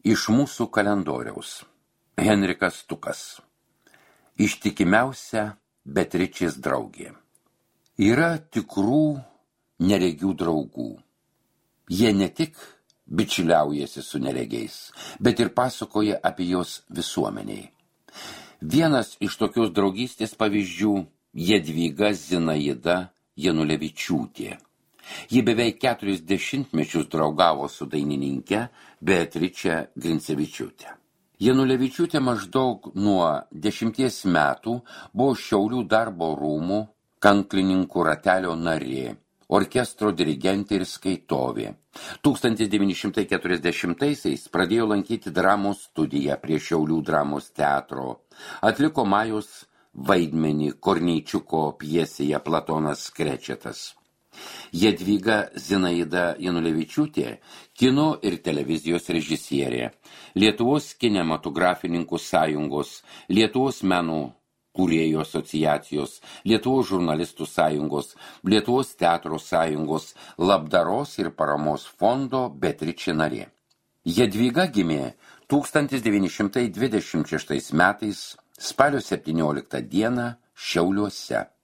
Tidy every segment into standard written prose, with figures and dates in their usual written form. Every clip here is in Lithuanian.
Iš mūsų kalendoriaus. Henrikas Tukas. Ištikimiausia Beatričės draugė. Yra tikrų neregių draugų. Jie ne tik bičiuliaujasi su neregiais, bet ir pasakoja apie jos visuomeniai. Vienas iš tokios draugystės pavyzdžių Jadvyga Zinaida Janulevičiūtė. Ji beveik 40 metus draugavo su dainininke Beatriče Grincevičiūte. Janulevičiūtė maždaug nuo 10 metų buvo Šiaulių darbo rūmų kanklininkų ratelio narė, orkestro dirigentė ir skaitovė. 1940-aisiais pradėjo lankyti dramos studiją prie Šiaulių dramos teatro. Atliko Majos vaidmenį Korneičiuko pjesėje Platonas Krečetas. Jadvyga Zinaida Janulevičiūtė, kino ir televizijos režisierė, Lietuvos kinematografininkų sąjungos, Lietuvos meno kūrėjų asociacijos, Lietuvos žurnalistų sąjungos, Lietuvos teatro sąjungos, labdaros ir paramos fondo Beatričė narė. Jadvyga gimė 1926 metais spalio 17 dieną Šiauliuose.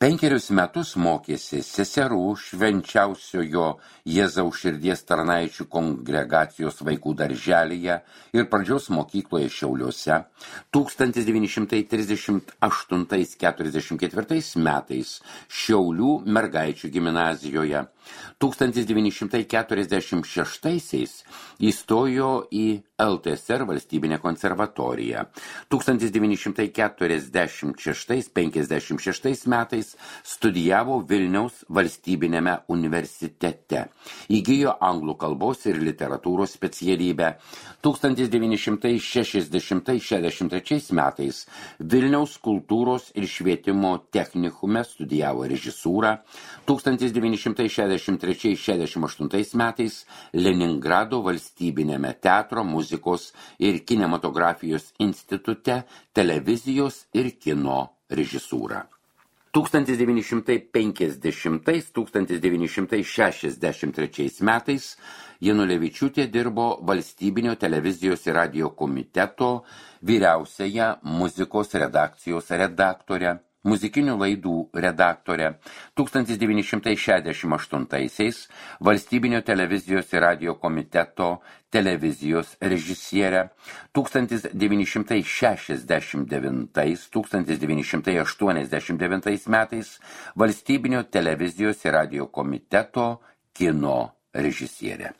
5 metus mokėsi seserų Švenčiausiojo Jėzaus širdies tarnaičių kongregacijos vaikų darželyje ir pradžios mokykloje Šiauliuose. 1938-44 metais Šiaulių mergaičių gimnazijoje. 1946 įstojo į LTSR valstybinę konservatoriją. 1946-56 metais studijavo Vilniaus valstybinėme universitete. Įgijo anglų kalbos ir literatūros specialybę. 1960-63 metais Vilniaus kultūros ir švietimo technikume studijavo režisūrą. 1963-68 metais Leningrado valstybinėme teatro, muzikos ir kinematografijos institute televizijos ir kino režisūrą. 1950-1963 metais Janulevičiūtė dirbo Valstybinio televizijos ir radijo komiteto vyriausiąją muzikos redakcijos redaktorę, muzikinių laidų redaktorė. 1968-aisiais Valstybinio televizijos ir radijo komiteto televizijos režisierė. 1969-1989 metais Valstybinio televizijos ir radijo komiteto kino režisierė.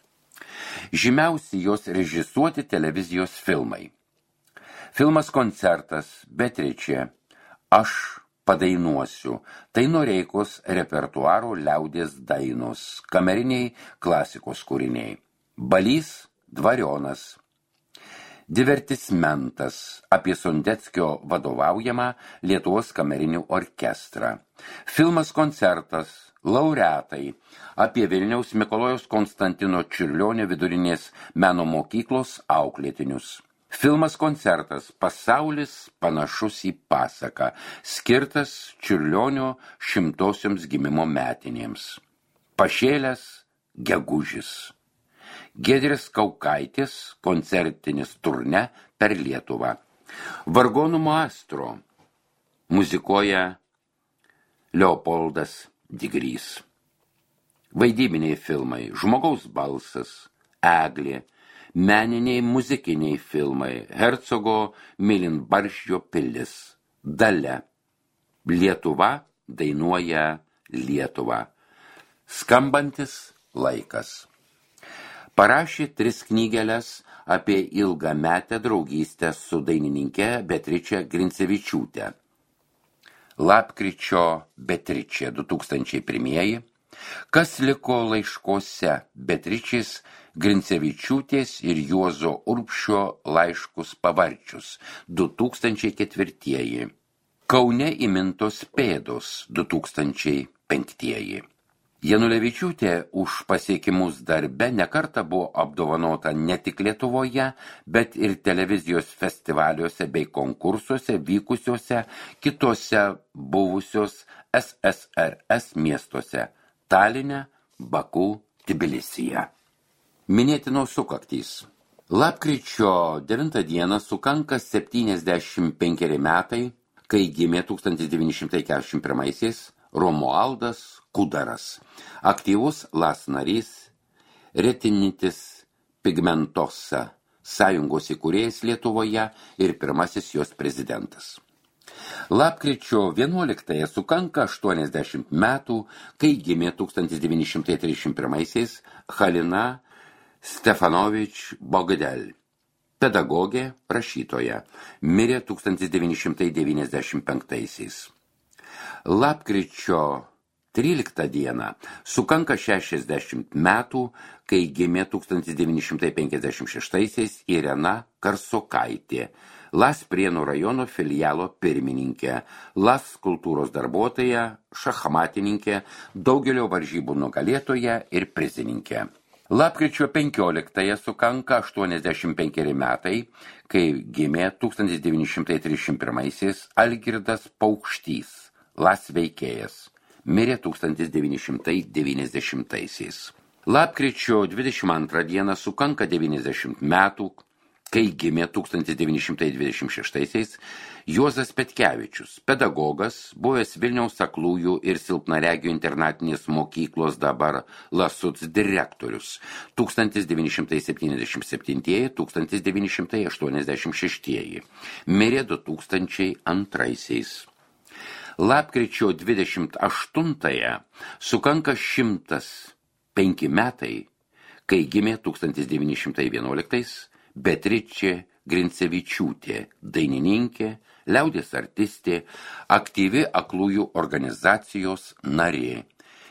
Žymiausi jos režisuoti televizijos filmai. Filmas Koncertas, Beatričė, Aš padainuosiu. Tai Noreikos repertuaro liaudies dainos, kameriniai klasikos kūriniai. Balys Dvarionas. Divertismentas apie Sondeckio vadovaujamą Lietuvos kamerinių orkestrą. Filmas Koncertas, Laureatai apie Vilniaus Mikalojaus Konstantino Čiurlionio vidurinės meno mokyklos auklėtinius. Filmas Koncertas, Pasaulis panašus į pasaką, skirtas Čiurlionio 100-osioms gimimo metinėms. Pašėlęs gegužis. Giedrės Kaukaitės koncertinis turne per Lietuvą. Vargonų maestro muzikuoja Leopoldas Digrys. Vaidybiniai filmai, Žmogaus balsas, Eglė, meniniai muzikiniai filmai, Hercogo Mėlynbarzdžio pilis, Dalia, Lietuva dainuoja Lietuvą, Skambantis laikas. Parašė 3 knygeles apie ilgametę draugystę su dainininke Beatriče Grincevičiūte. Lapkričio Beatričė 2001, Kas liko laiškose, Beatričės Grincevičiūtės ir Juozo Urbšio laiškus pavarčius 2004. Kaune įmintos pėdos 2005. Janulevičiūtė už pasiekimus darbe nekartą buvo apdovanota ne tik Lietuvoje, bet ir televizijos festivaliuose bei konkursuose vykusiuose kitose buvusios SSRS miestuose – Taline, Baku, Tbilisyje. Minėtinos sukaktys. Lapkričio 9 dieną sukanka 75 metai, kai gimė 1941-aisiais Romualdas Kudaras, aktyvus LAS narys, Retinitis Pigmentosa sąjungos įkūrėjas Lietuvoje ir pirmasis jos prezidentas. Lapkričio 11 sukanka 80 metų, kai gimė 1931-aisiais Halina Stefanovič Bogdel, pedagogė, rašytoja, mirė 1995-aisiais. Lapkričio 13 dieną sukanka 60 metų, kai gimė 1956-aisiais Irena Karsokaitė, LAS Prienų rajono filialo pirmininkė, LAS kultūros darbuotoja, šachmatininkė, daugelio varžybų nugalėtoja ir prizininkė. Lapkričio 15 sukanka 85 metai, kai gimė 1931-aisiais Algirdas Paukštys, LAS veikėjas, mirė 1990-aisiais. Lapkričio 22 dieną sukanka 90 metų, kai gimė 1926-aisiais Juozas Petkevičius, pedagogas, buvęs Vilniaus aklųjų ir silpnaregių internatinės mokyklos dabar LASUC direktorius 1977-1986, mirė 2002-aisiais. Lapkričio 28 sukanka 105 metai, kai gimė 1911 Beatričė Grincevičiūtė, dainininkė, liaudies artistė, aktyvi aklųjų organizacijos narė,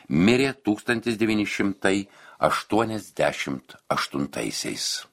mirė 1988-aisiais.